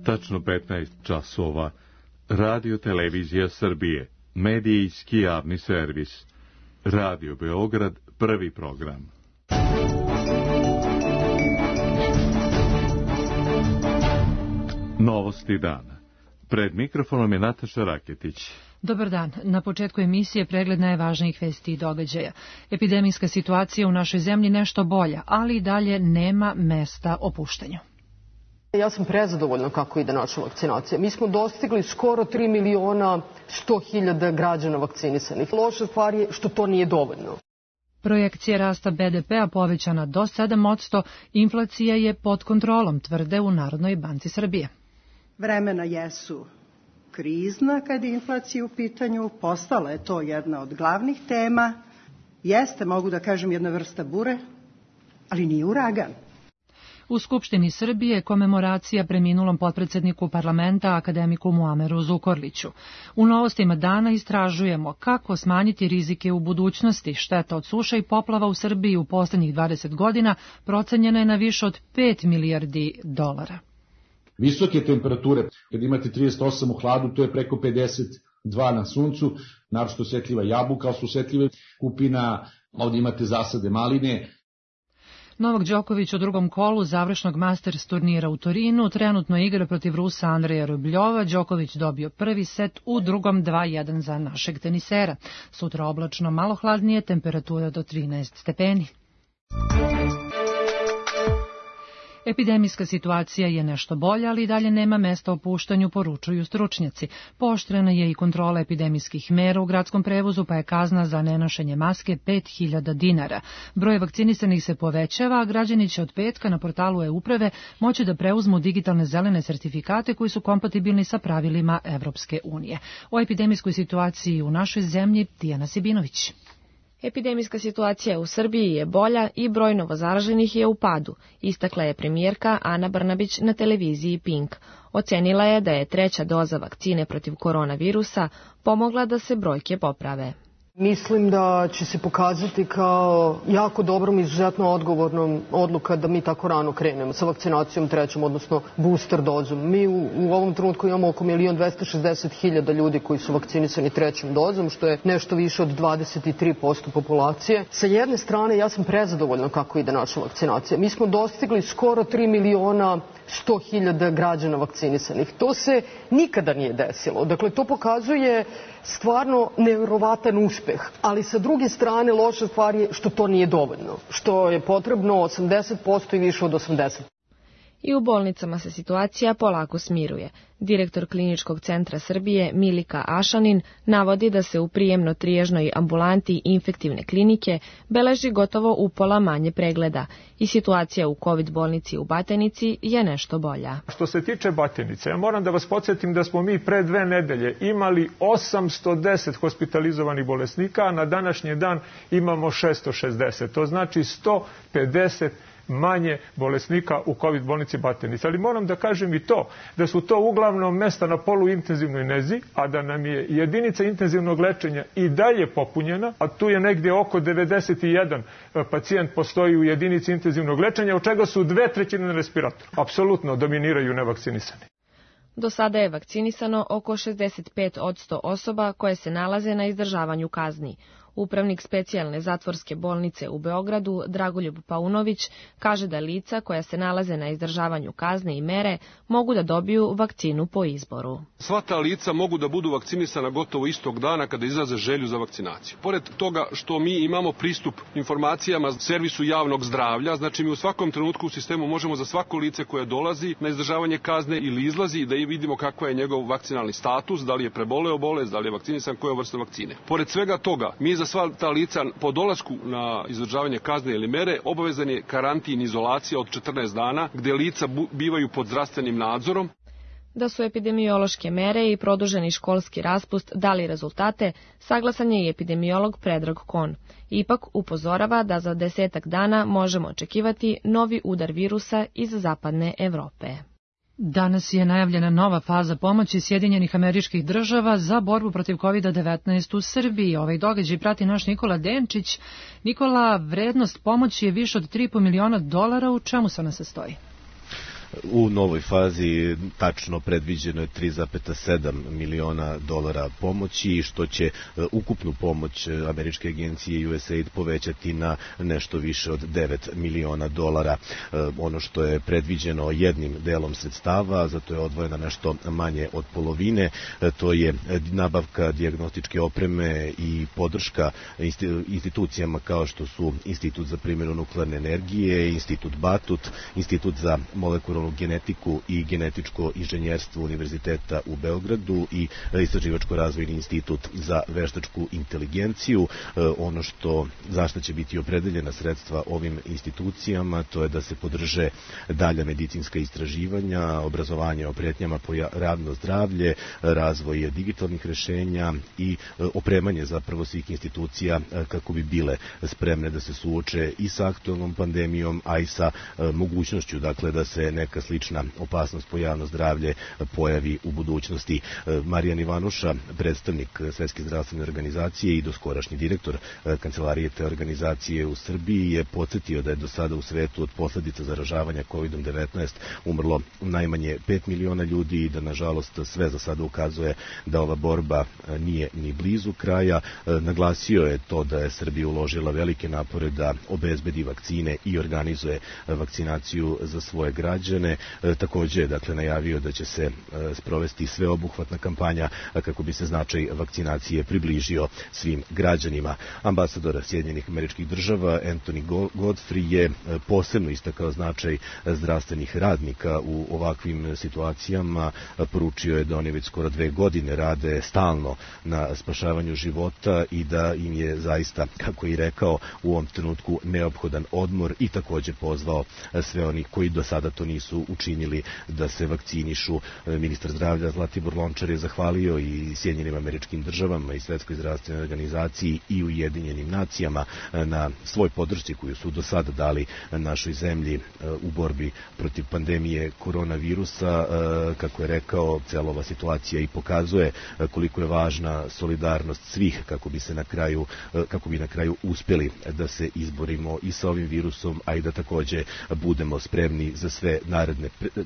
Tačno 15 časova. Radio Televizija Srbije. Medijski javni servis. Radio Beograd, prvi program. Novosti dana. Pred mikrofonom je Nataša Raketić. Dobar dan. Na početku emisije pregled najvažnijih vesti i događaja. Epidemijska situacija u našoj zemlji nešto bolja, ali i dalje nema mesta opuštanju. Ja sam prezadovoljna kako ide naša vakcinacija. Mi smo dostigli skoro 3.100.000 građana vakcinisanih. Loša stvar je što to nije dovoljno. Projekcija rasta BDP-a povećana do 7%, inflacija je pod kontrolom, tvrde u Narodnoj banci Srbije. Vremena jesu krizna kad je inflacija u pitanju, postala je to jedna od glavnih tema. Jeste, mogu da kažem, jedna vrsta bure, ali nije uragan. U Skupštini Srbije komemoracija preminulom potpredsedniku parlamenta akademiku Muameru Zukorliću. U novostima dana istražujemo kako smanjiti rizike u budućnosti. Šteta od suša i poplava u Srbiji u poslednjih 20 godina procenjena je na više od 5 milijardi dolara. Visoke temperature, kad imate 38 u hladu, to je preko 52 na suncu, naročito osetljiva jabuka, ali su osetljive kupina, ovdje imate zasade maline. Novak Đoković u drugom kolu završnog Masters turnira u Torinu trenutno igra protiv Rusa Andreja Rubljova. Đoković dobio prvi set, u drugom 2-1 za našeg tenisera. Sutra oblačno, malo hladnije, temperatura do 13 stepeni. Epidemijska situacija je nešto bolja, ali i dalje nema mesta opuštanju, poručuju stručnjaci. Pooštrena je i kontrola epidemijskih mera u gradskom prevozu, pa je kazna za nenošenje maske 5.000 dinara. Broj vakcinisanih se povećava, a građani će od petka na portalu e-uprave moći da preuzmu digitalne zelene sertifikate koji su kompatibilni sa pravilima Evropske unije. O epidemijskoj situaciji u našoj zemlji Tijana Sibinović. Epidemijska situacija u Srbiji je bolja i broj novozaraženih je u padu, istakla je premijerka Ana Brnabić na televiziji Pink. Ocenila je da je treća doza vakcine protiv koronavirusa pomogla da se brojke poprave. Mislim da će se pokazati kao jako dobrom i izuzetno odgovornom odluka da mi tako rano krenemo sa vakcinacijom trećom, odnosno booster dozom. Mi u ovom trenutku imamo oko 1.260.000 ljudi koji su vakcinisani trećom dozom, što je nešto više od 23% populacije. Sa jedne strane, ja sam prezadovoljna kako ide naša vakcinacija. Mi smo dostigli skoro 3.100.000 građana vakcinisanih. To se nikada nije desilo. Dakle, to pokazuje stvarno nevjerovatan uspeh. Ali sa druge strane, loša stvar je što to nije dovoljno, što je potrebno 80% i više od 80%. I u bolnicama se situacija polako smiruje. Direktor Kliničkog centra Srbije Milika Ašanin navodi da se u prijemno-triježnoj ambulanti infektivne klinike beleži gotovo upola manje pregleda i situacija u COVID bolnici u Batajnici je nešto bolja. Što se tiče Batajnice, ja moram da vas podsjetim da smo mi pre 2 nedelje imali 810 hospitalizovanih bolesnika, a na današnji dan imamo 660. To znači 150 manje bolesnika u COVID bolnici Batajnica. Ali moram da kažem i to, da su to uglavnom mesta na poluintenzivnoj nezi, a da nam je jedinica intenzivnog lečenja i dalje popunjena, a tu je negdje oko 91 pacijent postoji u jedinici intenzivnog lečenja, od čega su 2/3 na respiratoru. Apsolutno dominiraju nevakcinisani. Do sada je vakcinisano oko 65% osoba koje se nalaze na izdržavanju kazni. Upravnik specijalne zatvorske bolnice u Beogradu, Dragoljub Paunović, kaže da lica koja se nalaze na izdržavanju kazne i mere mogu da dobiju vakcinu po izboru. Sva ta lica mogu da budu vakcinisana gotovo istog dana kada izraze želju za vakcinaciju. Pored toga što mi imamo pristup informacijama servisu javnog zdravlja, znači mi u svakom trenutku u sistemu možemo za svako lice koje dolazi na izdržavanje kazne ili izlazi da i vidimo kakva je njegov vakcinalni status, da li je preboleo bolest, da li je vakcinisan, koja vrsta vakcine. Pored svega toga, mi za sva ta lica po dolasku na izdržavanje kazne ili mere obavezan je karantin, izolacija od 14 dana, gde lica bivaju pod zdravstvenim nadzorom. Da su epidemiološke mere i produženi školski raspust dali rezultate, saglasan je i epidemiolog Predrag Kon. Ipak upozorava da za 10 dana možemo očekivati novi udar virusa iz zapadne Evrope. Danas je najavljena nova faza pomoći Sjedinjenih Američkih Država za borbu protiv COVID-19 u Srbiji. Ovaj događaj prati naš Nikola Denčić. Nikola, vrednost pomoći je više od $3,5 miliona. U čemu se ona sastoji? U novoj fazi tačno predviđeno je 3,7 miliona dolara pomoći, što će ukupnu pomoć američke agencije USAID povećati na nešto više od 9 miliona dolara. Ono što je predviđeno jednim delom sredstava, zato je odvojena nešto manje od polovine, to je nabavka dijagnostičke opreme i podrška institucijama kao što su Institut za primjenu nuklearne energije, Institut Batut, Institut za molekularnu genetiku i genetičko inženjerstvo Univerziteta u Beogradu i Istraživačko-razvojni institut za veštačku inteligenciju. Ono za što će biti opredeljena sredstva ovim institucijama, to je da se podrže dalja medicinska istraživanja, obrazovanje o pretnjama po radno zdravlje, razvoj digitalnih rešenja i opremanje zapravo svih institucija kako bi bile spremne da se suoče i sa aktualnom pandemijom, a i sa mogućnošću dakle da se neka slična opasnost po javno zdravlje pojavi u budućnosti. Marijan Ivanuša, predstavnik Svetske zdravstvene organizacije i doskorašnji direktor kancelarije te organizacije u Srbiji, je podsjetio da je do sada u svetu od posledica zaražavanja COVID-19 umrlo najmanje 5 miliona ljudi i da nažalost sve za sada ukazuje da ova borba nije ni blizu kraja. Naglasio je to da je Srbija uložila velike napore da obezbedi vakcine i organizuje vakcinaciju za svoje građane. Također je dakle najavio da će se sprovesti sveobuhvatna kampanja kako bi se značaj vakcinacije približio svim građanima. Ambasador Sjedinjenih Američkih Država Anthony Godfrey je posebno istakao značaj zdravstvenih radnika u ovakvim situacijama. Poručio je da oni već skoro 2 godine rade stalno na spašavanju života i da im je zaista, kako i rekao, u ovom trenutku neophodan odmor i također pozvao sve oni koji do sada to nisu učinili da se vakcinišu. Ministar zdravlja Zlatibor Lončar je zahvalio i Sjedinjenim Američkim Državama i Svetskoj zdravstvenoj organizaciji i Ujedinjenim nacijama na svoj podršci koju su do sada dali našoj zemlji u borbi protiv pandemije koronavirusa. Kako je rekao, cijela ova situacija i pokazuje koliko je važna solidarnost svih kako bi na kraju uspjeli da se izborimo i sa ovim virusom, a i da također budemo spremni za sve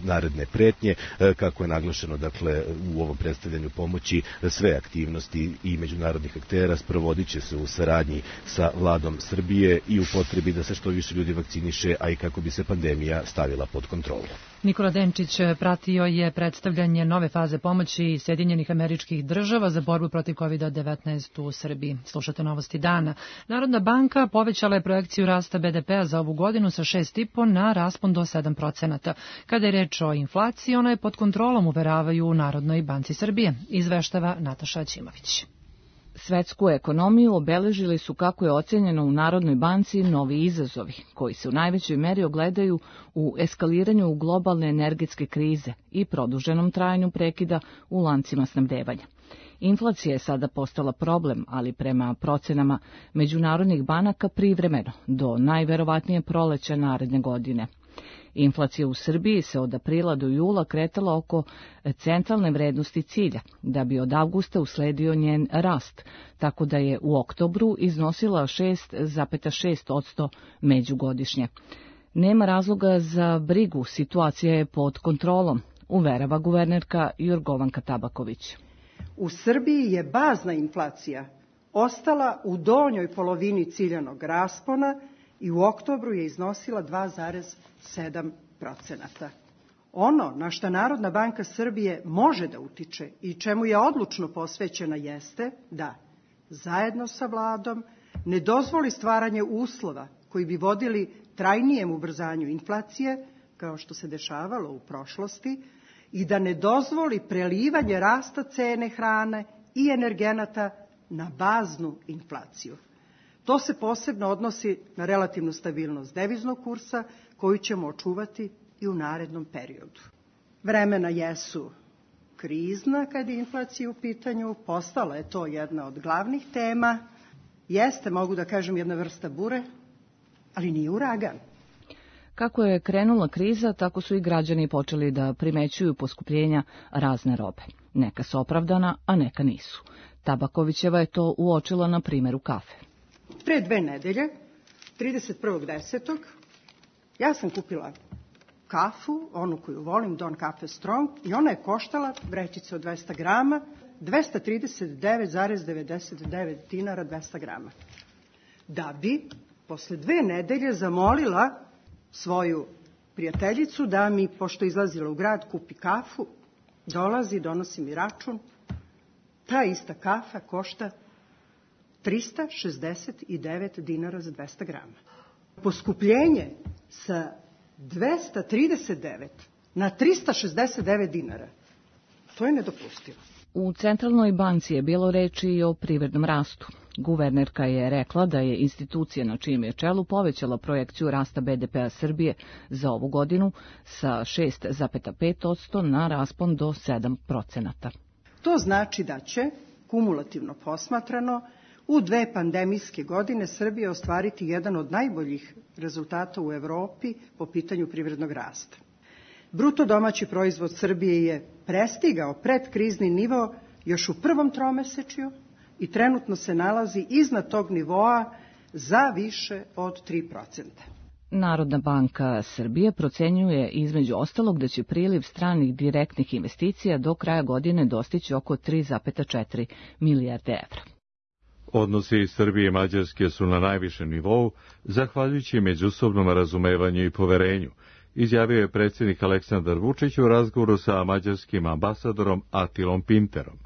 naredne pretnje. Kako je naglašeno dakle u ovom predstavljanju pomoći, sve aktivnosti i međunarodnih aktera sprovodit će se u saradnji sa vladom Srbije i u potrebi da se što više ljudi vakciniše, a i kako bi se pandemija stavila pod kontrolu. Nikola Denčić pratio je predstavljanje nove faze pomoći Sjedinjenih Američkih Država za borbu protiv COVID-19 u Srbiji. Slušate novosti dana. Narodna banka povećala je projekciju rasta BDP-a za ovu godinu sa 6,5 na raspon do 7%. Kada je reč o inflaciji, ona je pod kontrolom, uveravaju u Narodnoj banci Srbije, izveštava Nataša Ćimović. Svetsku ekonomiju obeležili su, kako je ocenjeno u Narodnoj banci, novi izazovi, koji se u najvećoj meri ogledaju u eskaliranju globalne energetske krize i produženom trajanju prekida u lancima snabdevanja. Inflacija je sada postala problem, ali prema procenama međunarodnih banaka privremeno, do najverovatnije proleća naredne godine. Inflacija u Srbiji se od aprila do jula kretala oko centralne vrednosti cilja, da bi od avgusta usledio njen rast, tako da je u oktobru iznosila 6,6% međugodišnje. Nema razloga za brigu, situacija je pod kontrolom, uverava guvernerka Jorgovanka Tabaković. U Srbiji je bazna inflacija ostala u donjoj polovini ciljanog raspona i u oktobru je iznosila 2,7%. Ono na što Narodna banka Srbije može da utiče i čemu je odlučno posvećena jeste da, zajedno sa vladom, ne dozvoli stvaranje uslova koji bi vodili trajnijem ubrzanju inflacije, kao što se dešavalo u prošlosti, i da ne dozvoli prelivanje rasta cene hrane i energenata na baznu inflaciju. To se posebno odnosi na relativnu stabilnost deviznog kursa, koju ćemo očuvati i u narednom periodu. Vremena jesu krizna kad je inflacija u pitanju, postala je to jedna od glavnih tema, jeste, mogu da kažem, jedna vrsta bure, ali nije uragan. Kako je krenula kriza, tako su i građani počeli da primećuju poskupljenja razne robe. Neka su opravdana, a neka nisu. Tabakovićeva je to uočila na primjeru kafe. Pre 2 nedelje, 31.10. ja sam kupila kafu, onu koju volim, Don Cafe Strong, i ona je koštala, vrećica od 200 grama, 239,99 dinara 200 grama. Da bi posle 2 nedelje zamolila svoju prijateljicu da mi, pošto izlazila u grad, kupi kafu, dolazi, donosi mi račun. Ta ista kafa košta 369 dinara za 200 grama. Poskupljenje sa 239 na 369 dinara, to je nedopustivo. U Centralnoj banci je bilo reči i o privrednom rastu. Guvernerka je rekla da je institucija na čijem je čelu povećala projekciju rasta BDP-a Srbije za ovu godinu sa 6,5% na raspon do 7%. To znači da će, kumulativno posmatrano, u 2 pandemijske godine Srbija ostvariti jedan od najboljih rezultata u Evropi po pitanju privrednog rasta. Bruto domaći proizvod Srbije je prestigao predkrizni nivo još u prvom tromesečju i trenutno se nalazi iznad tog nivoa za više od 3%. Narodna banka Srbije procenjuje između ostalog da će priliv stranih direktnih investicija do kraja godine dostići oko 3,4 milijarde evra. Odnosi Srbije i Mađarske su na najvišem nivou, zahvaljujući međusobnom razumevanju i poverenju, izjavio je predsjednik Aleksandar Vučić u razgovoru sa mađarskim ambasadorom Atilom Pinterom.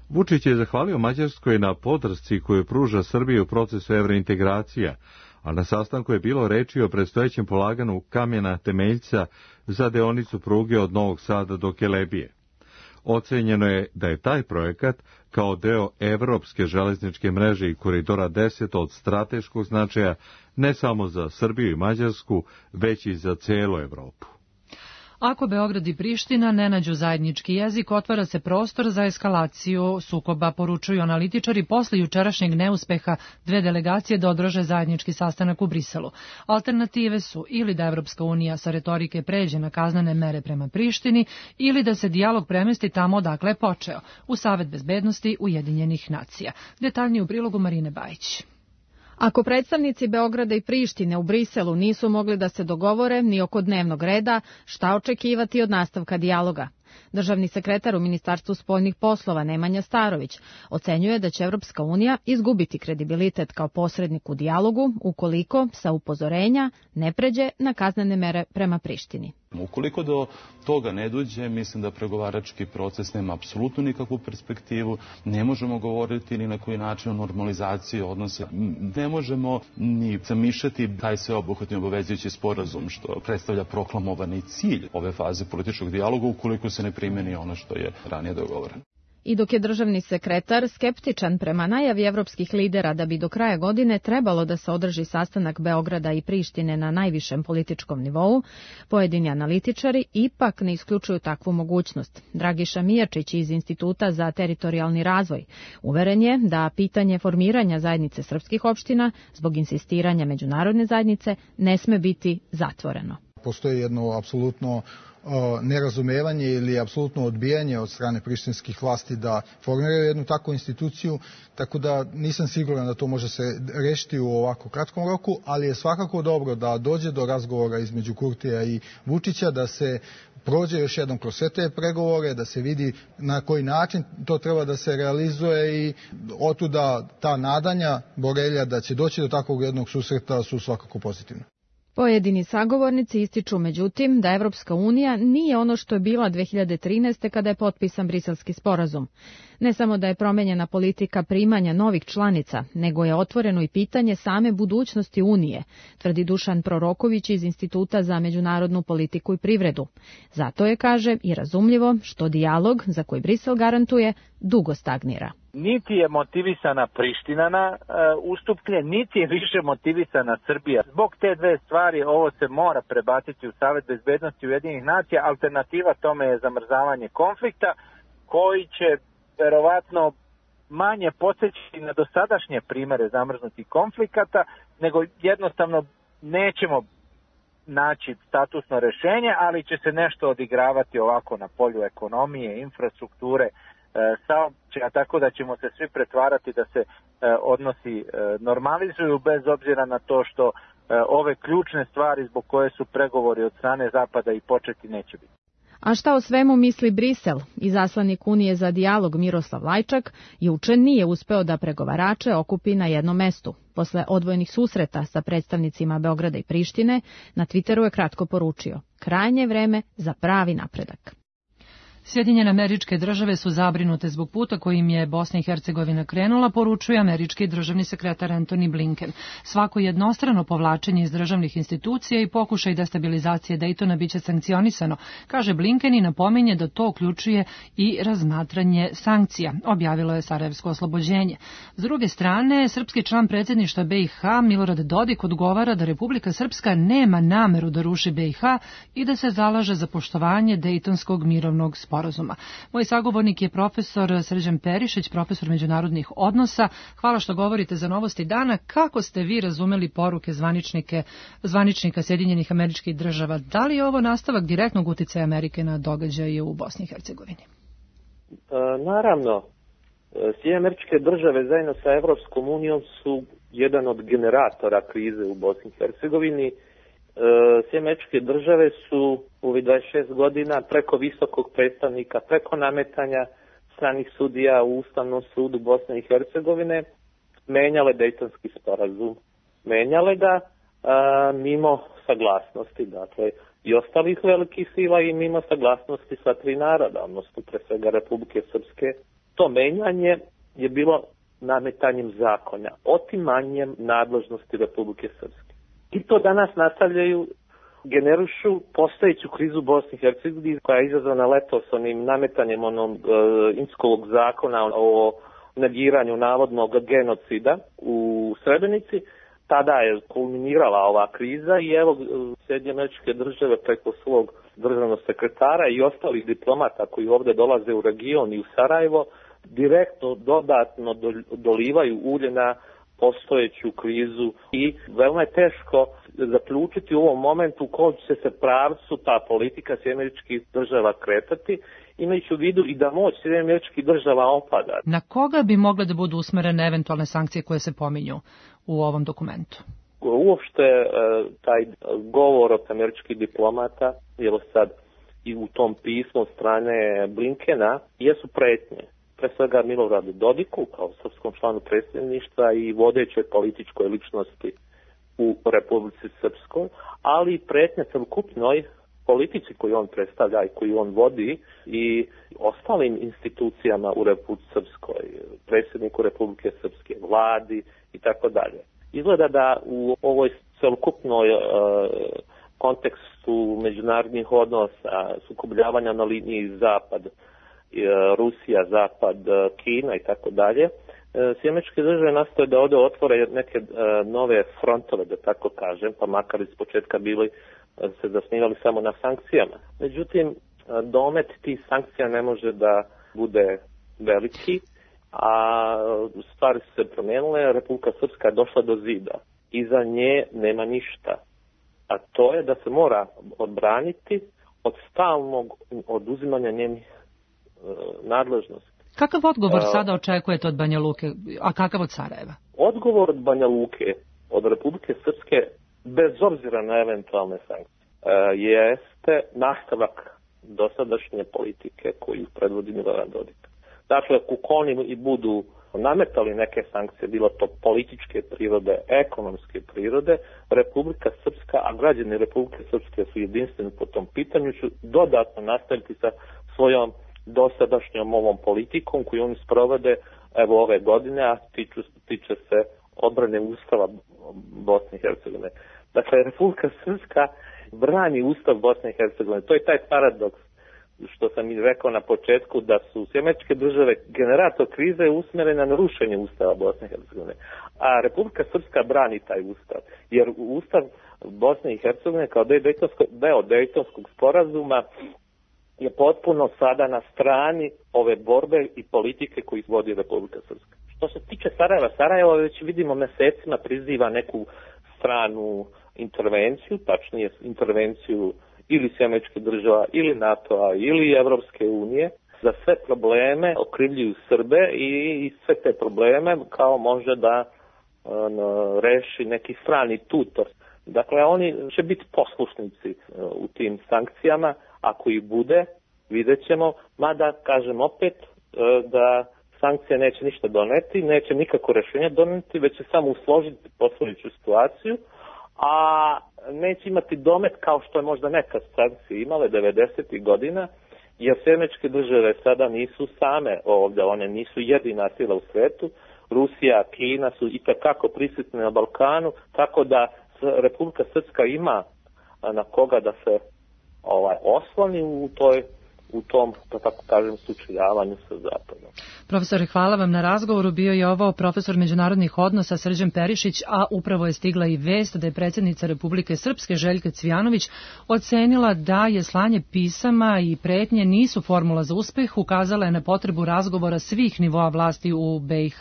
Vučić je zahvalio Mađarskoj na podršci koju pruža Srbiji u procesu evrointegracija, a na sastanku je bilo reči o predstojećem polaganju kamena temeljca za deonicu pruge od Novog Sada do Kelebije. Ocenjeno je da je taj projekat kao deo evropske železničke mreže i koridora 10 od strateškog značaja ne samo za Srbiju i Mađarsku, već i za celu Evropu. Ako Beograd i Priština ne nađu zajednički jezik, otvara se prostor za eskalaciju sukoba, poručuju analitičari posle jučerašnjeg neuspeha 2 delegacije da održe zajednički sastanak u Briselu. Alternative su ili da Evropska unija sa retorike pređe na kaznene mere prema Prištini ili da se dijalog premesti tamo odakle je počeo, u Savet bezbednosti Ujedinjenih nacija. Detaljnije u prilogu Marine Bajić. Ako predstavnici Beograda i Prištine u Briselu nisu mogli da se dogovore ni oko dnevnog reda, šta očekivati od nastavka dijaloga? Državni sekretar u Ministarstvu spoljnih poslova Nemanja Starović ocenjuje da će Evropska unija izgubiti kredibilitet kao posrednik u dijalogu ukoliko sa upozorenja ne pređe na kaznene mere prema Prištini. Ukoliko do toga ne dođe, mislim da pregovarački proces nema apsolutno nikakvu perspektivu, ne možemo govoriti ni na koji način o normalizaciji odnosa, ne možemo ni zamišljati taj sveobuhvatni obavezujući sporazum što predstavlja proklamovani cilj ove faze političkog dijaloga ukoliko se ne primeni ono što je ranije dogovoreno. I dok je državni sekretar skeptičan prema najavi evropskih lidera da bi do kraja godine trebalo da se održi sastanak Beograda i Prištine na najvišem političkom nivou, pojedini analitičari ipak ne isključuju takvu mogućnost. Dragiša Mijačić iz Instituta za teritorijalni razvoj uveren je da pitanje formiranja zajednice srpskih opština zbog insistiranja međunarodne zajednice ne sme biti zatvoreno. Postoji jedno apsolutno nerazumevanje ili apsolutno odbijanje od strane prištinskih vlasti da formiraju jednu takvu instituciju, tako da nisam siguran da to može se rešiti u ovako kratkom roku, ali je svakako dobro da dođe do razgovora između Kurtija i Vučića, da se prođe još jednom kroz sve te pregovore, da se vidi na koji način to treba da se realizuje i otuda ta nadanja Borelja da će doći do takvog jednog susreta su svakako pozitivne. Pojedini sagovornici ističu međutim da Evropska unija nije ono što je bila 2013. kada je potpisan Briselski sporazum. Ne samo da je promenjena politika primanja novih članica, nego je otvoreno i pitanje same budućnosti Unije, tvrdi Dušan Proroković iz Instituta za međunarodnu politiku i privredu. Zato je, kaže, i razumljivo što dijalog, za koji Brisel garantuje, dugo stagnira. Niti je motivisana Priština na ustupke, niti je više motivisana Srbija. Zbog te dve stvari ovo se mora prebaciti u Savet bezbednosti Ujedinjenih nacija. Alternativa tome je zamrzavanje konflikta koji će verovatno manje podsećati na dosadašnje primere zamrznutih konflikata, nego jednostavno nećemo naći statusno rešenje, ali će se nešto odigravati ovako na polju ekonomije, infrastrukture, saobraćaja, tako da ćemo se svi pretvarati da se odnosi normalizuju bez obzira na to što ove ključne stvari zbog koje su pregovori od strane Zapada i početi neće biti. A šta o svemu misli Brisel? Izaslanik Unije za dijalog Miroslav Lajčak juče nije uspeo da pregovarače okupi na jednom mestu. Posle odvojenih susreta sa predstavnicima Beograda i Prištine, na Twitteru je kratko poručio: krajnje vreme za pravi napredak. Sjedinjene Američke Države su zabrinute zbog puta kojim je Bosna i Hercegovina krenula, poručuje američki državni sekretar Antony Blinken. Svako jednostrano povlačenje iz državnih institucija i pokušaj destabilizacije Dejtona biće sankcionisano, kaže Blinken i napominje da to uključuje i razmatranje sankcija, objavilo je Sarajevsko oslobođenje. S druge strane, srpski član predsjedništva BiH Milorad Dodik odgovara da Republika Srpska nema nameru da ruši BiH i da se zalaže za poštovanje Dejtonskog mirovnog sporazuma. Moj sagovornik je profesor Srđan Perišić, profesor međunarodnih odnosa. Hvala što govorite za Novosti dana. Kako ste vi razumeli poruke zvaničnika Sjedinjenih Američkih Država? Da li je ovo nastavak direktnog uticaja Amerike na događaje u Bosni i Hercegovini? Naravno, Sjedinjene Američke Države zajedno sa Evropskom unijom su jedan od generatora krize u Bosni i Hercegovini. Sjedinjene Američke Države su u 26 godina preko visokog predstavnika, preko nametanja stranih sudija u Ustavnom sudu Bosne i Hercegovine menjale Dejtonski sporazum. Menjale ga mimo saglasnosti, dakle, i ostalih velikih sila i mimo saglasnosti sva tri naroda, odnosno pre svega Republike Srpske. To menjanje je bilo nametanjem zakonja, otimanjem nadležnosti Republike Srpske. I to danas nastavljaju, generišu postojeću krizu Bosni i Hercegovini koja je izazvana letos onim nametanjem onog Inskovog zakona o negiranju navodnog genocida u Srebrenici. Tada je kulminirala ova kriza i evo Sjedinjene Američke Države preko svog državnog sekretara i ostalih diplomata koji ovdje dolaze u region i u Sarajevo direktno dodatno dolivaju ulje na postojeću krizu i veoma je teško zaključiti u ovom momentu u kojem će se pravcu ta politika Sjedinjenih Američkih Država kretati, imajući u vidu i da moć Sjedinjenih Američkih Država opada. Na koga bi mogle da budu usmerene eventualne sankcije koje se pominju u ovom dokumentu? Uopšte taj govor od američkih diplomata, jer sad i u tom pismu od strane Blinkena, jesu pretnje. Pre svega Miloradu Dodiku kao srpskom članu predsjedništva i vodećoj političkoj ličnosti u Republici Srpskoj, ali i pretnje celokupnoj politici koju on predstavlja i koju on vodi i ostalim institucijama u Republici Srpskoj, predsjedniku Republike Srpske, vladi i tako dalje. Izgleda da u ovoj celokupnoj kontekstu međunarodnih odnosa, sukobljavanja na liniji zapad, Rusija, Zapad, Kina i tako dalje, Sjedinjene Američke Države nastoje da ovdje otvore neke nove frontove, da tako kažem, pa makar iz početka bili se zasnivali samo na sankcijama. Međutim, domet tih sankcija ne može da bude veliki, a stvari su se promijenile, Republika Srpska je došla do zida. Iza nje nema ništa, a to je da se mora odbraniti od stalnog oduzimanja njenih nadležnosti. Kakav odgovor sada očekujete od Banja Luke, a kakav od Sarajeva? Odgovor od Banja Luke, od Republike Srpske, bez obzira na eventualne sankcije, jeste nastavak dosadašnje politike koju predvodi Milorad Dodik. Dakle, ako oni i budu nametali neke sankcije, bilo to političke prirode, ekonomske prirode, Republika Srpska, a građani Republike Srpske su jedinstveni po tom pitanju, će dodatno nastaviti sa svojom dosadašnjom ovom politikom koju oni sprovode evo ove godine, a tiče se odbrane Ustava Bosne i Hercegovine. Dakle, Republika Srpska brani Ustav Bosne i Hercegovine. To je taj paradoks što sam i rekao na početku, da su Sjedinjene Američke Države generator krize usmjerene na rušenje Ustava Bosne i Hercegovine. A Republika Srpska brani taj Ustav, jer Ustav Bosne i Hercegovine kao deo Dejtonskog sporazuma je potpuno sada na strani ove borbe i politike koju vodi Republika Srpska. Što se tiče Sarajeva, Sarajevo već vidimo mesecima priziva neku stranu intervenciju, tačnije intervenciju ili Sjedinjenih Američkih Država, ili NATO-a, ili Evropske unije, za sve probleme okrivljuju Srbe i sve te probleme kao može da reši neki strani tutor. Dakle, oni će biti poslušnici u tim sankcijama, ako ih bude, vidjet ćemo, mada, kažem opet, da sankcije neće ništa doneti, neće nikako rešenje doneti, već će samo usložiti postojeću situaciju, a neće imati domet kao što je možda nekad sankcije imale 90. godina, jer Američke države sada nisu same ovdje, one nisu jedina sila u svetu, Rusija, Kina su itekako prisutne na Balkanu, tako da Republika Srpska ima na koga da se osloni u tom, da tako kažem, sučeljavanju sa Zapadom. Profesore, hvala vam na razgovoru. Bio je ovo profesor međunarodnih odnosa Srđan Perišić, a upravo je stigla i vest da je predsjednica Republike Srpske Željka Cvijanović ocenila da je slanje pisama i pretnje nisu formula za uspeh, ukazala je na potrebu razgovora svih nivoa vlasti u BiH.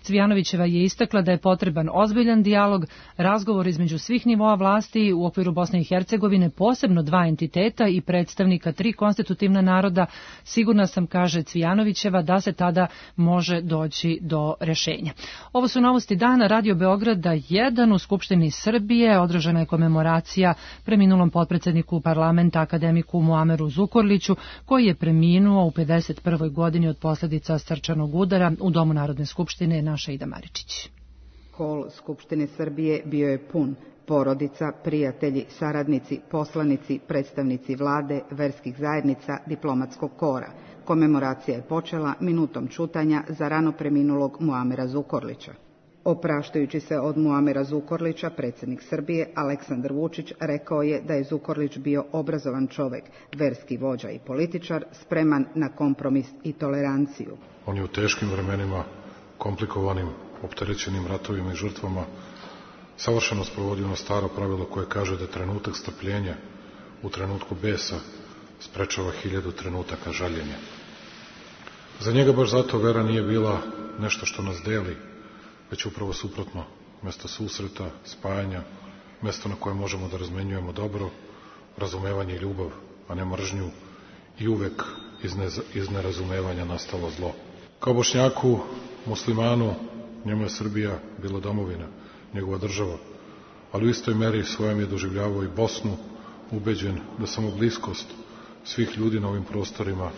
Cvijanovićeva je istakla da je potreban ozbiljan dijalog, razgovor između svih nivoa vlasti u okviru Bosne i Hercegovine, posebno dva entiteta i predstavnika tri konstitutivna naroda. Sigurna sam, kaže Cvijanovićeva, da se tada može doći do rešenja. Ovo su novosti dana. Radio Beograda 1 u Skupštini Srbije održana je komemoracija preminulom potpredsjedniku parlamenta akademiku Muameru Zukorliću, koji je preminuo u 51. godini od posljedica srčanog udara u Domu Narodne skupštine. Naša Ida Maričić. Hol Skupštine Srbije bio je pun. Porodica, prijatelji, saradnici, poslanici, predstavnici vlade, verskih zajednica, diplomatskog kora. Komemoracija je počela minutom ćutanja za rano preminulog Muamera Zukorlića. Opraštajući se od Muamera Zukorlića, predsjednik Srbije Aleksandar Vučić rekao je da je Zukorlić bio obrazovan čovjek, verski vođa i političar, spreman na kompromis i toleranciju. On je u teškim vremenima, komplikovanim, opterećenim ratovima i žrtvama, savršeno sprovodio ono staro pravilo koje kaže da trenutak strpljenja u trenutku besa sprečava 1000 trenutaka žaljenja. Za njega baš zato vera nije bila nešto što nas deli, već upravo suprotno, mjesto susreta, spajanja, mjesto na koje možemo da razmenjujemo dobro, razumevanje i ljubav, a ne mržnju, i uvek iz nerazumevanja nastalo zlo. Kao Bošnjaku, muslimanu, njemu je Srbija bila domovina, njegova država, ali u istoj meri svojom je doživljavao i Bosnu, ubeđen da samo bliskost svih ljudi na ovim prostorima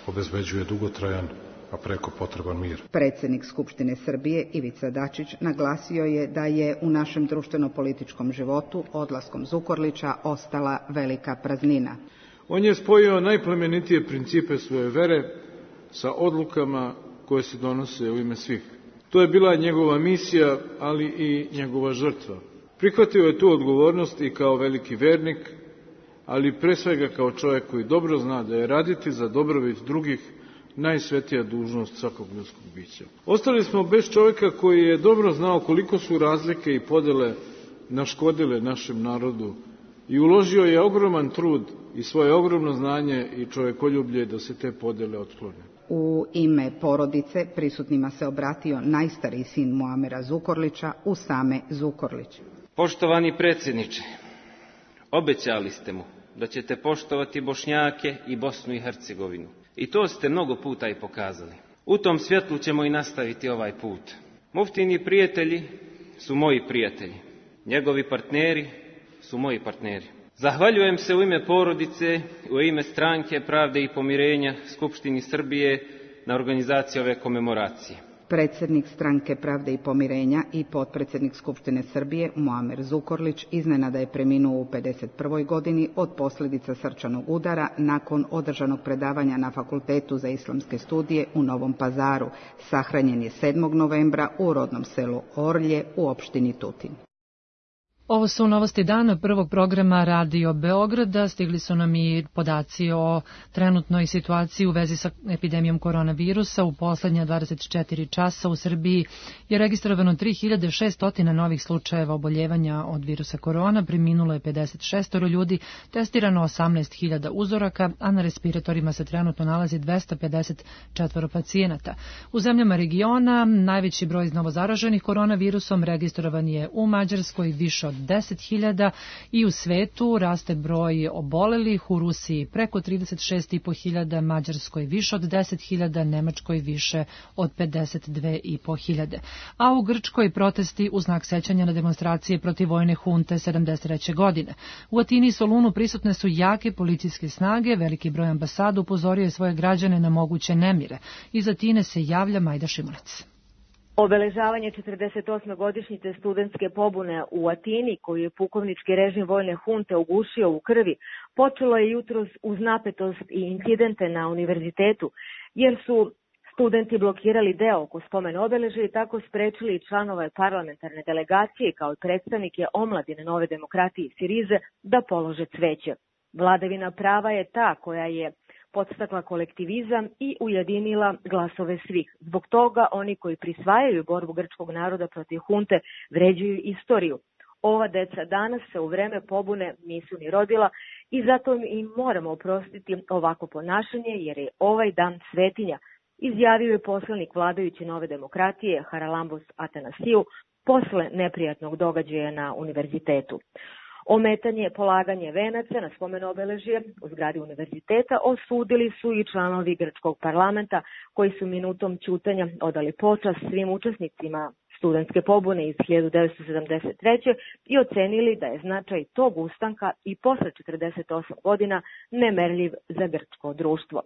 obezbeđuje dugotrajan, a preko potreban mir. Predsjednik Skupštine Srbije Ivica Dačić naglasio je da je u našem društveno-političkom životu odlaskom Zukorlića ostala velika praznina. On je spojio najplemenitije principe svoje vere sa odlukama koje se donose u ime svih. To je bila njegova misija, ali i njegova žrtva. Prihvatio je tu odgovornost i kao veliki vernik, ali pre svega kao čovjek koji dobro zna da je raditi za dobrobit drugih najsvetija dužnost svakog ljudskog bića. Ostali smo bez čovjeka koji je dobro znao koliko su razlike i podele naškodile našem narodu i uložio je ogroman trud i svoje ogromno znanje i čovjekoljublje da se te podele otklone. U ime porodice prisutnima se obratio najstariji sin Muamera Zukorlića, Usame Zukorlić. Poštovani predsjedniče, obećali ste mu da ćete poštovati Bošnjake i Bosnu i Hercegovinu. I to ste mnogo puta i pokazali. U tom svjetlu ćemo i nastaviti ovaj put. Muftini prijatelji su moji prijatelji. Njegovi partneri su moji partneri. Zahvaljujem se u ime porodice, u ime Stranke pravde i pomirenja Skupštini Srbije na organizaciji ove komemoracije. Predsjednik Stranke pravde i pomirenja i potpredsjednik Skupštine Srbije Muamer Zukorlić iznenada je preminuo u 51. godini od posljedica srčanog udara nakon održanog predavanja na Fakultetu za islamske studije u Novom Pazaru. Sahranjen je 7. novembra u rodnom selu Orlje u opštini Tutin. Ovo su novosti dana prvog programa Radio Beograda. Stigli su nam i podaci o trenutnoj situaciji u vezi sa epidemijom koronavirusa. U poslednja 24 časa u Srbiji je registrovano 3600 novih slučajeva oboljevanja od virusa korona, preminulo je 56 ljudi, testirano 18.000 uzoraka, a na respiratorima se trenutno nalazi 254 pacijenata. U zemljama regiona najveći broj novozaraženih koronavirusom registrovan je u Mađarskoj, više od od 10.000 i u svetu raste broj obolelih, u Rusiji preko 36.500, Mađarskoj više od 10.000, Nemačkoj više od 52.500. A u Grčkoj protesti u znak sećanja na demonstracije protiv vojne hunte 73. godine. U Atini i Solunu prisutne su jake policijske snage, veliki broj ambasada upozorio je svoje građane na moguće nemire. Iz Atine se javlja Majda Šimunic. Obeležavanje 48. godišnjice studentske pobune u Atini, koju je pukovnički režim vojne hunte ugušio u krvi, počelo je jutros uz napetost i incidente na univerzitetu, jer su studenti blokirali deo oko spomen obeležja i tako sprečili članove parlamentarne delegacije kao i predstavnike omladine Nove demokratije Sirize da polože cveće. Vladavina prava je ta koja je podstakla kolektivizam i ujedinila glasove svih. Zbog toga oni koji prisvajaju borbu grčkog naroda protiv hunte vređuju istoriju. Ova deca danas se u vreme pobune nisu ni rodila i zato im moramo oprostiti ovako ponašanje jer je ovaj dan svetinja, izjavio je poslanik vladajuće Nove demokratije Haralambos Atanasiju posle neprijatnog događaja na univerzitetu. Ometanje polaganje venaca na spomen obeležje u zgradi univerziteta osudili su i članovi grčkog parlamenta koji su minutom ćutanja odali počast svim učesnicima studentske pobune iz 1973. i ocenili da je značaj tog ustanka i posle 48 godina nemerljiv za grčko društvo.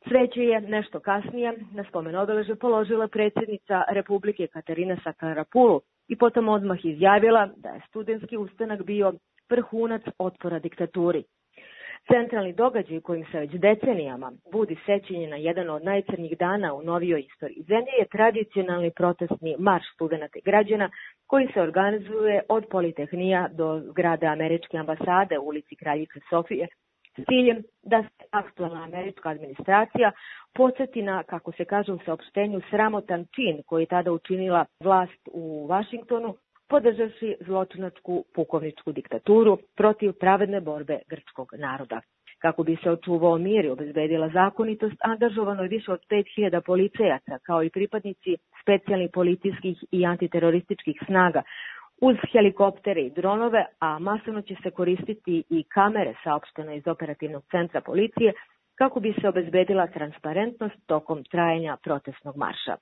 Cveće je nešto kasnije na spomen obeležje položila predsjednica Republike Katarina Sakarapulu i potom odmah izjavila da je studentski ustanak bio vrhunac otpora diktaturi. Centralni događaj kojim se već decenijama budi sećanje na jedan od najcrnjih dana u novijoj istoriji zemlje je tradicionalni protestni marš studenata i građana koji se organizuje od Politehnija do zgrade američke ambasade u ulici Kraljice Sofije s ciljem da se aktualna američka administracija podsjeti na, kako se kaže u saopštenju, sramotan čin koji je tada učinila vlast u Vašingtonu, podržavši zločinačku pukovničku diktaturu protiv pravedne borbe grčkog naroda. Kako bi se očuvao mir i obezbedila zakonitost, angažovano je više od 5.000 policajaca, kao i pripadnici specijalnih policijskih i antiterorističkih snaga, uz helikoptere i dronove, a masovno će se koristiti i kamere, saopšteno iz operativnog centra policije, kako bi se obezbedila transparentnost tokom trajanja protestnog marša.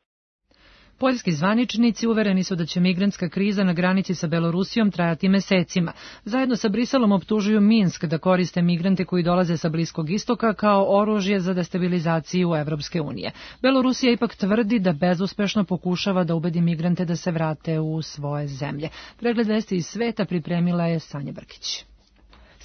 Poljski zvaničnici uvereni su da će migrantska kriza na granici sa Belorusijom trajati mesecima. Zajedno sa Briselom optužuju Minsk da koriste migrante koji dolaze sa Bliskog istoka kao oružje za destabilizaciju Evropske unije. Belorusija ipak tvrdi da bezuspešno pokušava da ubedi migrante da se vrate u svoje zemlje. Pregled vesti iz sveta pripremila je Sanja Brkić.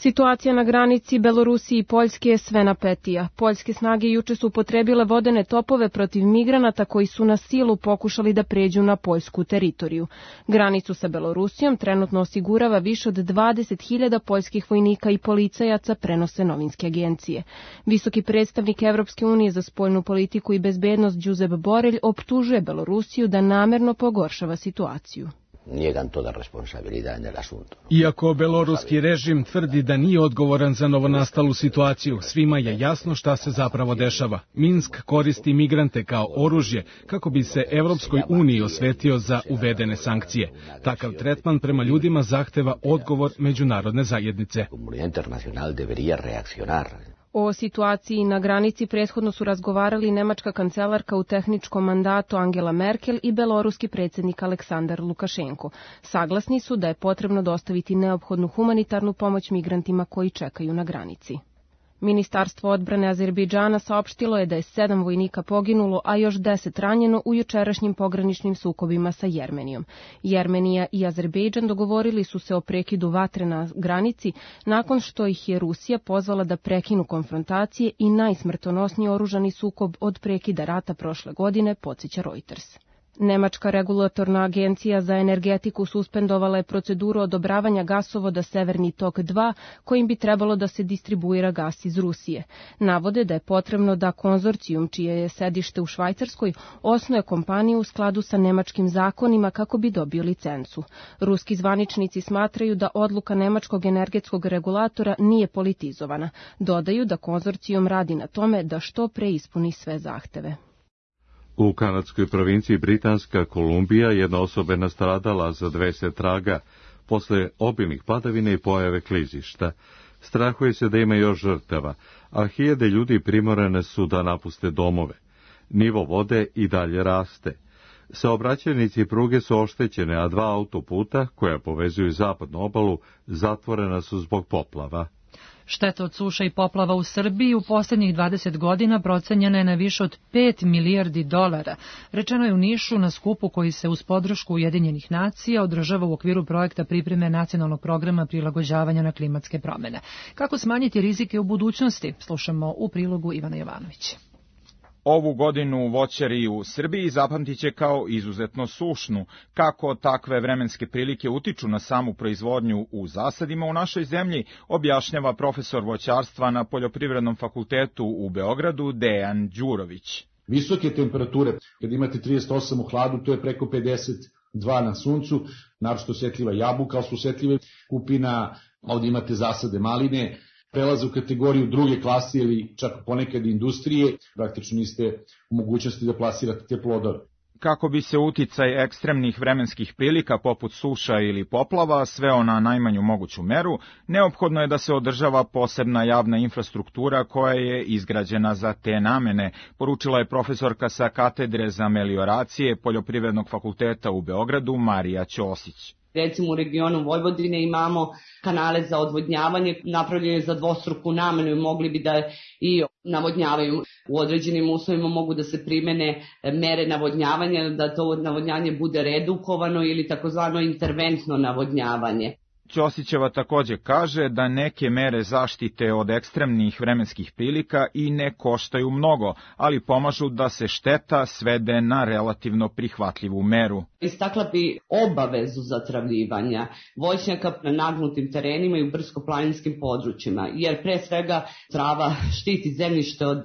Situacija na granici Belorusije i Poljske je sve napetija. Poljske snage juče su upotrebile vodene topove protiv migranata koji su na silu pokušali da pređu na poljsku teritoriju. Granicu sa Belorusijom trenutno osigurava više od 20.000 poljskih vojnika i policajaca, prenose novinske agencije. Visoki predstavnik Evropske unije za spoljnu politiku i bezbednost Josep Borrell optužuje Belorusiju da namerno pogoršava situaciju. Iako beloruski režim tvrdi da nije odgovoran za novonastalu situaciju, svima je jasno šta se zapravo dešava. Minsk koristi migrante kao oružje kako bi se Evropskoj uniji osvetio za uvedene sankcije. Takav tretman prema ljudima zahteva odgovor međunarodne zajednice. O situaciji na granici prethodno su razgovarali nemačka kancelarka u tehničkom mandatu Angela Merkel i beloruski predsjednik Aleksandar Lukašenko. Saglasni su da je potrebno dostaviti neophodnu humanitarnu pomoć migrantima koji čekaju na granici. Ministarstvo odbrane Azerbejdžana saopštilo je da je 7 vojnika poginulo, a još 10 ranjeno u jučerašnjim pograničnim sukobima sa Jermenijom. Jermenija i Azerbejdžan dogovorili su se o prekidu vatre na granici nakon što ih je Rusija pozvala da prekinu konfrontacije i najsmrtonosniji oružani sukob od prekida rata prošle godine, podsjeća Reuters. Nemačka regulatorna agencija za energetiku suspendovala je proceduru odobravanja gasovoda Severni tok 2, kojim bi trebalo da se distribuira gas iz Rusije. Navode da je potrebno da konzorcijum, čije je sedište u Švajcarskoj, osnuje kompaniju u skladu sa nemačkim zakonima kako bi dobio licencu. Ruski zvaničnici smatraju da odluka nemačkog energetskog regulatora nije politizovana. Dodaju da konzorcijum radi na tome da što pre ispuni sve zahteve. U kanadskoj provinciji Britanska Kolumbija jedna osoba je nastradala, za 2 se traga. posle obilnih padavina i pojave klizišta. Strahuje se da ima još žrtava, a hiljade ljudi primorane su da napuste domove. Nivo vode i dalje raste. Saobraćajnici pruge su oštećene, a 2 autoputa, koja povezuju zapadnu obalu, zatvorena su zbog poplava. Šteta od suša i poplava u Srbiji u posljednjih 20 godina procenjena je na više od 5 milijardi dolara. Rečeno je u Nišu na skupu koji se uz podršku Ujedinjenih nacija održava u okviru projekta pripreme nacionalnog programa prilagođavanja na klimatske promjene. Kako smanjiti rizike u budućnosti? Slušamo u prilogu Ivana Jovanovića. Ovu godinu voćari u Srbiji zapamtit će kao izuzetno sušnu. Kako takve vremenske prilike utiču na samu proizvodnju u zasadima u našoj zemlji, objašnjava profesor voćarstva na Poljoprivrednom fakultetu u Beogradu Dejan Đurović. Visoke temperature, kad imate 38 u hladu, to je preko 52 na suncu, naročito osjetljiva jabuka, ali su osjetljive kupina, ovdje imate zasade maline, prelaze u kategoriju druge klase ili čak ponekad industrije, praktično niste u mogućnosti da plasirate te plodove. Kako bi se uticaj ekstremnih vremenskih prilika poput suša ili poplava sveo na najmanju moguću meru, neophodno je da se održava posebna javna infrastruktura koja je izgrađena za te namene, poručila je profesorka sa katedre za melioracije Poljoprivrednog fakulteta u Beogradu Marija Ćosić. Recimo u regionu Vojvodine imamo kanale za odvodnjavanje napravljene za dvostruku namenu i mogli bi da i navodnjavaju. U određenim uslovima mogu da se primene mere navodnjavanja, da to navodnjanje bude redukovano ili takozvano interventno navodnjavanje. Ćosićeva takođe kaže da neke mere zaštite od ekstremnih vremenskih prilika i ne koštaju mnogo, ali pomažu da se šteta svede na relativno prihvatljivu meru. Istakla bi obavezu zatravljivanja voćnjaka na nagnutim terenima i u brdsko-planinskim područjima, jer pre svega trava štiti zemljište od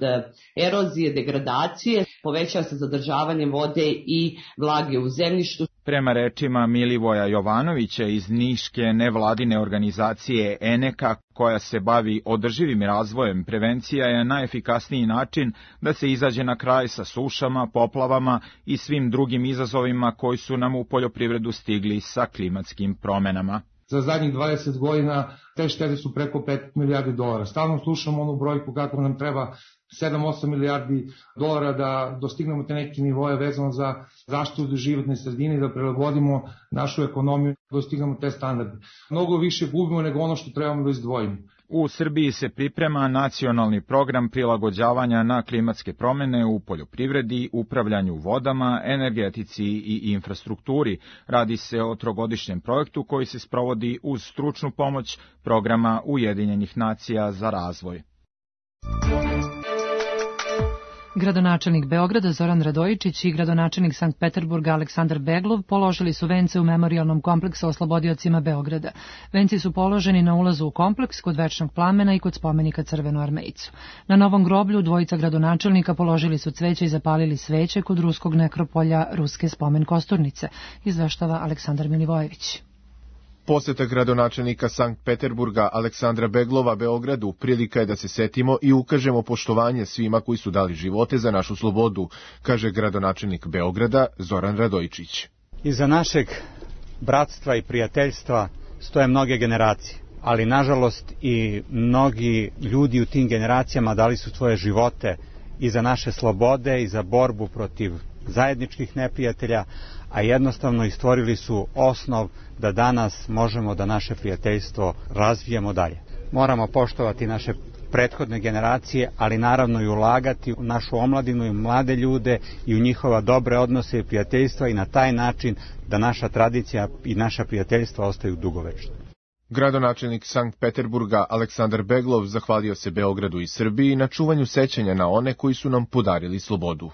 erozije, degradacije, povećava se zadržavanje vode i vlage u zemljištu. Prema rečima Milivoja Jovanovića iz niške nevladine organizacije ENEKA, koja se bavi održivim razvojem, prevencija je najefikasniji način da se izađe na kraj sa sušama, poplavama i svim drugim izazovima koji su nam u poljoprivredu stigli sa klimatskim promenama. Za zadnjih 20 godina te štete su preko 5 milijardi dolara. Stalno slušamo onu brojku kako nam treba 7-8 milijardi dolara da dostignemo te neke nivoje vezano za zaštitu životne sredine i da prilagodimo našu ekonomiju, da dostignemo te standarde. Mnogo više gubimo nego ono što trebamo da izdvojimo. U Srbiji se priprema nacionalni program prilagođavanja na klimatske promene u poljoprivredi, upravljanju vodama, energetici i infrastrukturi. Radi se o trogodišnjem projektu koji se sprovodi uz stručnu pomoć programa Ujedinjenih nacija za razvoj. Gradonačelnik Beograda Zoran Radojičić i gradonačelnik Sankt Peterburga Aleksandar Beglov položili su vence u memorijalnom kompleksu oslobodiocima Beograda. Venci su položeni na ulazu u kompleks kod Večnog plamena i kod spomenika Crvenoarmejcu. Na Novom groblju dvojica gradonačelnika položili su cveće i zapalili sveće kod ruskog nekropolja Ruske spomen kosturnice, izveštava Aleksandar Milivojević. Poseta gradonačelnika Sankt Peterburga Aleksandra Beglova Beogradu prilika je da se setimo i ukažemo poštovanje svima koji su dali živote za našu slobodu, kaže gradonačelnik Beograda Zoran Radojičić. Iza našeg bratstva i prijateljstva stoje mnoge generacije, ali nažalost i mnogi ljudi u tim generacijama dali su svoje živote i za naše slobode i za borbu protiv zajedničkih neprijatelja, a jednostavno i stvorili su osnov da danas možemo da naše prijateljstvo razvijemo dalje. Moramo poštovati naše prethodne generacije, ali naravno i ulagati u našu omladinu i mlade ljude i u njihova dobre odnose i prijateljstva i na taj način da naša tradicija i naša prijateljstva ostaju dugovečna. Gradonačelnik Sankt Peterburga Aleksandar Beglov zahvalio se Beogradu i Srbiji na čuvanju sećanja na one koji su nam podarili slobodu.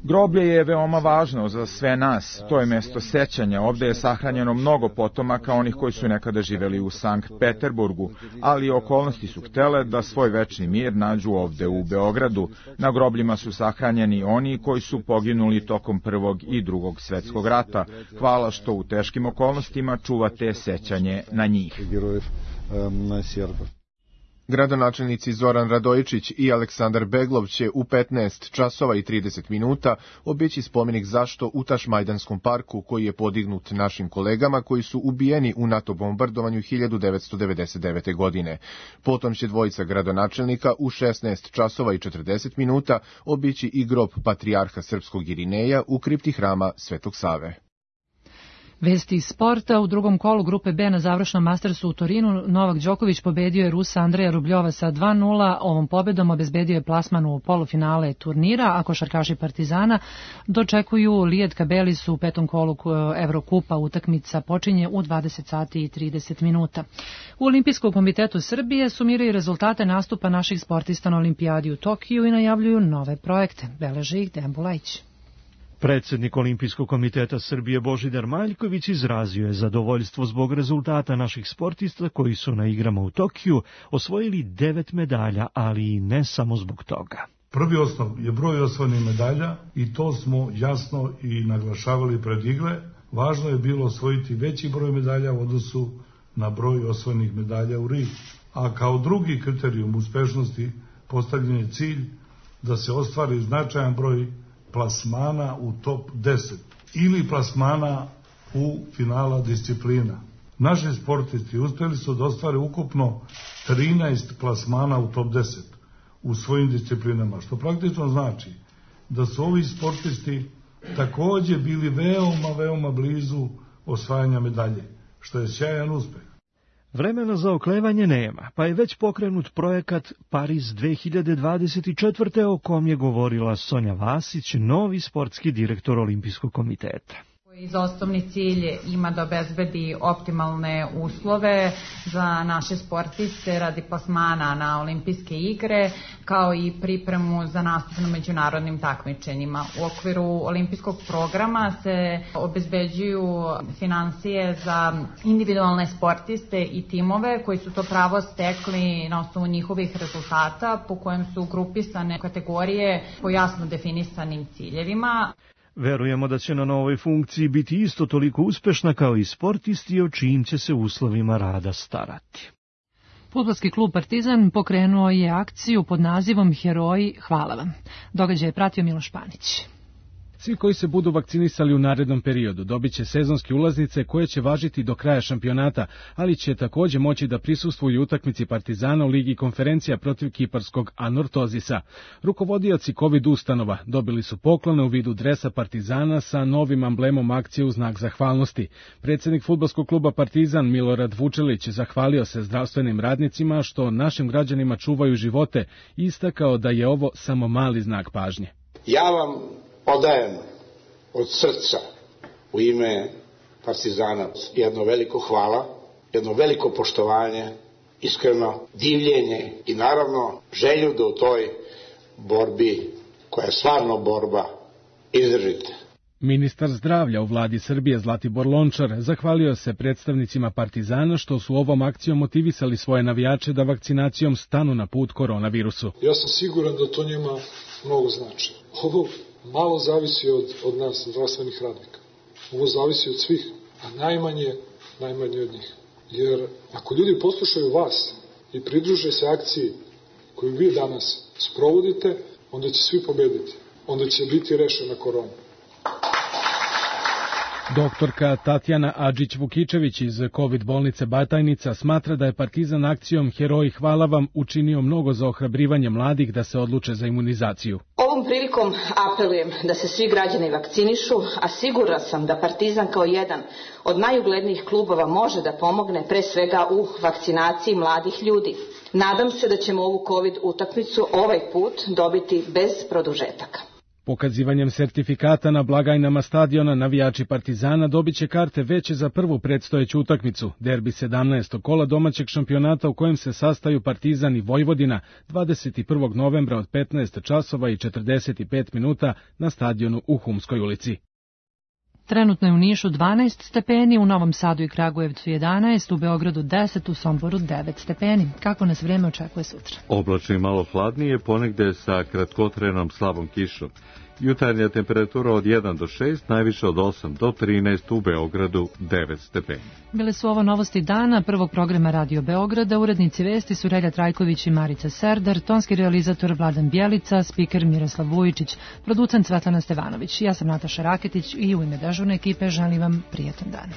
Groblje je veoma važno za sve nas. To je mesto sećanja. Ovde je sahranjeno mnogo potomaka onih koji su nekada živeli u Sankt Peterburgu, ali okolnosti su htele da svoj večni mir nađu ovde u Beogradu. Na grobljima su sahranjeni oni koji su poginuli tokom Prvog i Drugog svetskog rata. Hvala što u teškim okolnostima čuvate sećanje na njih. Gradonačelnici Zoran Radojičić i Aleksandar Beglov će u 15 časova i 30 minuta obići spomenik Zašto u Tašmajdanskom parku koji je podignut našim kolegama koji su ubijeni u NATO bombardovanju 1999. godine. Potom će dvojica gradonačelnika u 16 časova i 40 minuta obići i grob patrijarha srpskog Irineja u kripti hrama Svetog Save. Vesti iz sporta. U drugom kolu grupe B na završnom Mastersu u Torinu Novak Đoković pobedio je Rusa Andreja Rubljova sa 2:0. Ovom pobedom obezbedio je plasman u polufinale turnira, a košarkaši Partizana dočekuju Lijed Kabelis u petom kolu Evrokupa. Utakmica počinje u 20 sati i 30 minuta. U Olimpijskom komitetu Srbije sumiraju rezultate nastupa naših sportista na Olimpijadi u Tokiju i najavljuju nove projekte. Beleže ih Dejan Bulajić. Predsjednik Olimpijskog komiteta Srbije Božidar Maljković izrazio je zadovoljstvo zbog rezultata naših sportista koji su na igrama u Tokiju osvojili 9 medalja, ali i ne samo zbog toga. Prvi osnov je broj osvojenih medalja i to smo jasno i naglašavali pred igre. Važno je bilo osvojiti veći broj medalja u odnosu na broj osvojenih medalja u Riu. A kao drugi kriterijum uspešnosti postavljen je cilj da se ostvari značajan broj plasmana u top 10 ili plasmana u finala disciplina. Naši sportisti uspjeli su da ostvare ukupno 13 plasmana u top 10 u svojim disciplinama, što praktično znači da su ovi sportisti također bili veoma blizu osvajanja medalje, što je sjajan uspeh. Vremena za oklevanje nema, pa je već pokrenut projekat Pariz 2024. o kom je govorila Sonja Vasić, novi sportski direktor Olimpijskog komiteta. Iz osnovni cilj ima da obezbedi optimalne uslove za naše sportiste radi plasmana na olimpijske igre, kao i pripremu za nastup na međunarodnim takmičenjima. U okviru olimpijskog programa se obezbeđuju finansije za individualne sportiste i timove koji su to pravo stekli na osnovu njihovih rezultata, po kojem su grupisane kategorije po jasno definisanim ciljevima. Verujemo da će na novoj funkciji biti isto toliko uspešna kao i sportisti o čijim će se uslovima rada starati. Fudbalski klub Partizan pokrenuo je akciju pod nazivom Heroji, hvala vam. Događaj je pratio Miloš Panić. Svi koji se budu vakcinisali u narednom periodu dobit će sezonske ulaznice koje će važiti do kraja šampionata, ali će također moći da prisustvuju utakmici Partizana u Ligi konferencija protiv kiparskog Anortozisa. Rukovodioci COVID ustanova dobili su poklone u vidu dresa Partizana sa novim amblemom akcije u znak zahvalnosti. Predsjednik fudbalskog kluba Partizan Milorad Vučelić zahvalio se zdravstvenim radnicima što našim građanima čuvaju živote i istakao da je ovo samo mali znak pažnje. Ja vam odajem od srca u ime Partizana jedno veliko hvala, jedno veliko poštovanje, iskreno divljenje i naravno želju da u toj borbi, koja je stvarno borba, izdržite. Ministar zdravlja u vladi Srbije Zlatibor Lončar zahvalio se predstavnicima Partizana što su ovom akcijom motivisali svoje navijače da vakcinacijom stanu na put koronavirusu. Ja sam siguran da to njima mnogo znači. Ovo malo zavisi od nas, zdravstvenih radnika. Ovo zavisi od svih, a najmanje od njih. Jer ako ljudi poslušaju vas i pridruže se akciji koju vi danas sprovodite, onda će svi pobediti. Onda će biti rešena korona. Doktorka Tatjana Adžić-Vukičević iz COVID bolnice Batajnica smatra da je Partizan akcijom Heroji hvala vam učinio mnogo za ohrabrivanje mladih da se odluče za imunizaciju. Ovom prilikom apelujem da se svi građani vakcinišu, a sigurna sam da Partizan kao jedan od najuglednijih klubova može da pomogne pre svega u vakcinaciji mladih ljudi. Nadam se da ćemo ovu COVID utakmicu ovaj put dobiti bez produžetaka. Pokazivanjem sertifikata na blagajnama stadiona navijači Partizana dobit će karte veće za prvu predstojeću utakmicu, derbi 17. kola domaćeg šampionata u kojem se sastaju Partizan i Vojvodina 21. novembra od 15 časova i 45 minuta na stadionu u Humskoj ulici. Trenutno je u Nišu 12 stepeni, u Novom Sadu i Kragujevcu 11, u Beogradu 10, u Somboru 9 stepeni. Kako nas vreme očekuje sutra? Oblačno i malo hladnije, ponegde sa kratkotrenom slabom kišom. Jutarnja temperatura od 1 do 6, najviše od 8 do 13, u Beogradu 9 stepeni. Bile su ovo novosti dana prvog programa Radio Beograda. Urednici vesti su Relja Trajković i Marica Serdar, tonski realizator Vladan Bjelica, spiker Miroslav Vujičić, producent Svetlana Stevanović. Ja sam Nataša Raketić i u ime dežurne ekipe želim vam prijatan dan.